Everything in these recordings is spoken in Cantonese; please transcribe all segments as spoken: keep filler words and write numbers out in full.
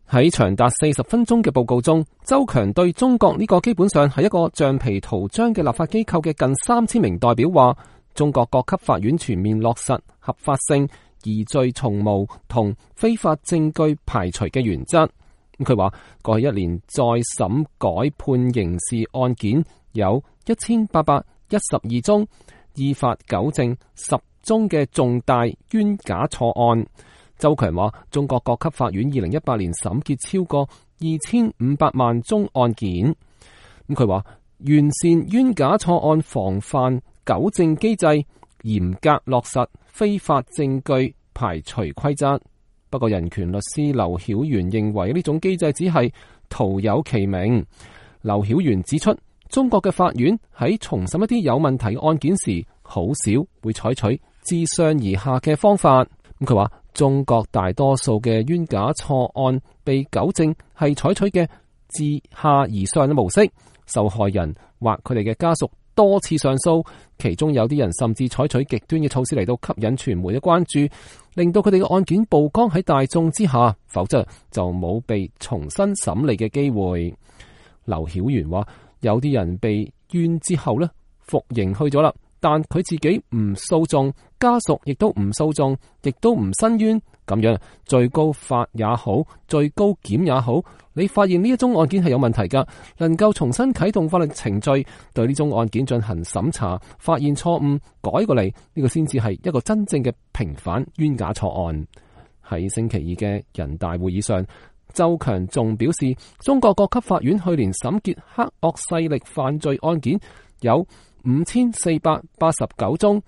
喺長達四十分鐘嘅報告中，周強對中國呢個基本上係一個橡皮圖章嘅立法機構嘅近三千名代表話，中國各級法院全面落實合法性、疑罪從無同非法證據排除嘅原則。佢話過去一年再審改判刑事案件有一千八百一十二宗，依法糾正十宗嘅重大冤假錯案。周強話，中國各級法院二零一八年審結超過二千五百萬宗案件。咁佢話，完善冤假錯案防範糾正機制，嚴格落實非法證據排除規則。不過，人權律師劉曉元認為呢種機制只係徒有其名。劉曉元指出，中國嘅法院喺重審一啲有問題嘅案件時，好少會採取自上而下嘅方法。咁佢話，中國大多數嘅冤假錯案被糾正係採取嘅自下而上嘅模式，受害人或佢哋嘅家屬多次上訴，其中有啲人甚至採取極端嘅措施嚟到吸引傳媒嘅關注，令到佢哋嘅案件曝光喺大眾之下，否則就冇被重新審理嘅機會。劉曉元話，有啲人被冤之後呢，服刑去咗啦，但佢自己唔訴訟，家屬亦都唔訴訟，亦都唔申冤，咁樣最高法也好，最高檢也好，你發現呢一宗案件係有問題噶，能夠重新啟動法律程序，對呢宗案件進行審查，發現錯誤，改過嚟，呢個先至係一個真正嘅平反冤假錯案。喺星期二嘅人大會議上，周強仲表示，中國各級法院去年審結黑惡勢力犯罪案件有五千四百八十九宗，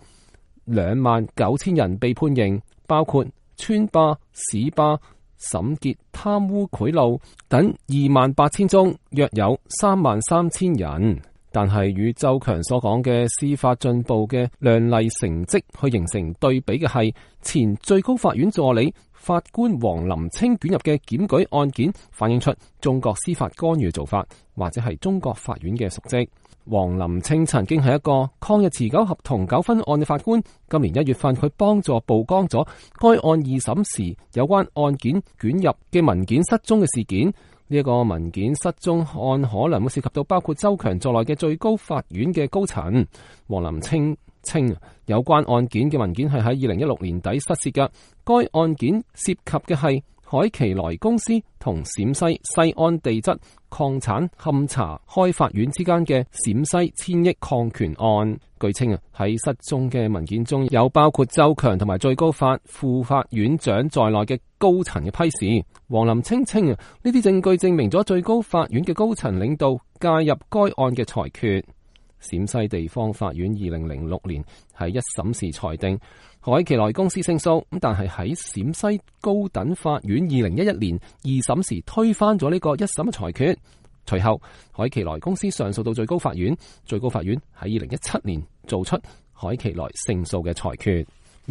兩萬九千人被判刑，包括村霸、市霸、審結貪污賄賂等二萬八千宗，約有三萬三千人。但係與周強所講嘅司法進步嘅亮麗成績去形成對比嘅係，前最高法院助理法官王林清捲入嘅檢舉案件，反映出中國司法干預做法，或者係中國法院嘅瀆職。王林清曾經係一個抗日持久合同糾紛案嘅法官，今年一月份佢幫助曝光咗該案二審時有關案件捲入嘅文件失蹤嘅事件。呢、這、一個文件失蹤案可能會涉及到包括周強在內嘅最高法院嘅高層。王林清稱有關案件嘅文件係喺二零一六年底失竊嘅，該案件涉及嘅係海奇萊公司同陝西西安地質礦產勘查開發院之間嘅陝西千億礦權案。據稱啊，喺失蹤嘅文件中有包括周強同埋最高法副法院長在內嘅高層嘅批示。王林清稱啊，呢啲證據證明咗最高法院嘅高層領導介入該案嘅裁決。陝西地方法院二零零六年喺一審時裁定海奇萊公司勝訴，但係喺陝西高等法院二零一一年二審時推翻咗呢個一審嘅裁決。隨後海奇萊公司上訴到最高法院，最高法院喺二零一七年做出海奇萊勝訴嘅裁決。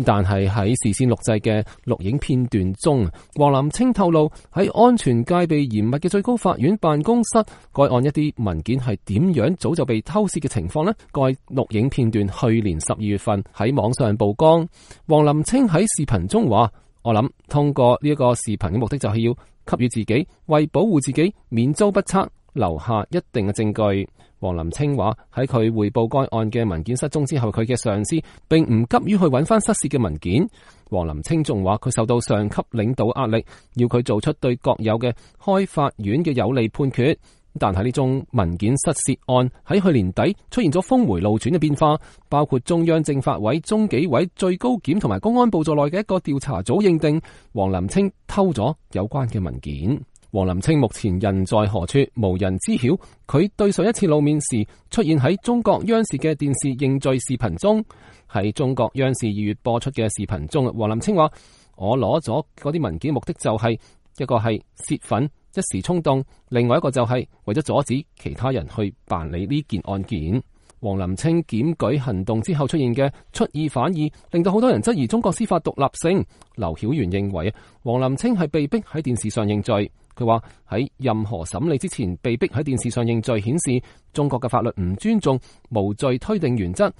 但係喺事先錄製嘅錄影片段中，王林清透露喺安全戒備嚴密嘅最高法院辦公室，該案一啲文件係點樣早就被偷竊嘅情況呢？該錄影片段去年十二月份喺網上曝光。王林清喺視頻中話：我諗通過呢一個視頻嘅目的就係要給予自己為保護自己免遭不測留下一定嘅證據。王林清話喺佢匯報該案嘅文件失蹤之後，佢嘅上司並唔急於去揾翻失竊嘅文件。王林清仲話佢受到上級領導壓力，要佢做出對國有嘅開法院嘅有利判決。但係呢宗文件失竊案喺去年底出現咗峰回路轉嘅變化，包括中央政法委、中紀委、最高檢同埋公安部在內嘅一個調查組認定王林清偷咗有關嘅文件。王林清目前人在何處，無人知曉。佢對上一次露面時出現喺中國央視嘅電視認罪視頻中。喺中國央視二月播出嘅視頻中，王林清話：我攞咗嗰啲文件目的就係、是、一個係洩憤一時衝動，另外一個就係為咗阻止其他人去辦理呢件案件。王林清檢舉行動之後出現嘅出爾反爾，令到好多人質疑中國司法獨立性。劉曉元認為王林清係被逼喺電視上認罪。佢話喺任何審理之前被逼喺電視上認罪，顯示中國嘅法律唔尊重無罪推定原則，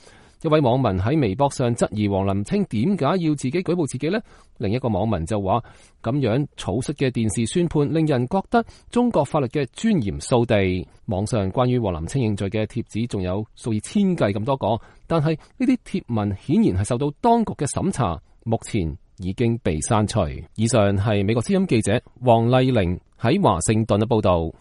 一位網民喺微博上質疑王林清點解要自己舉報自己呢？另一個網民就話，咁樣草率嘅電視宣判令人覺得中國法律嘅尊嚴掃地。網上關於王林清認罪嘅帖子仲有數以千計咁多個，但係呢啲貼文顯然係受到當局嘅審查，目前已經被刪除。以上係美國之音記者黃麗玲喺華盛頓嘅報道。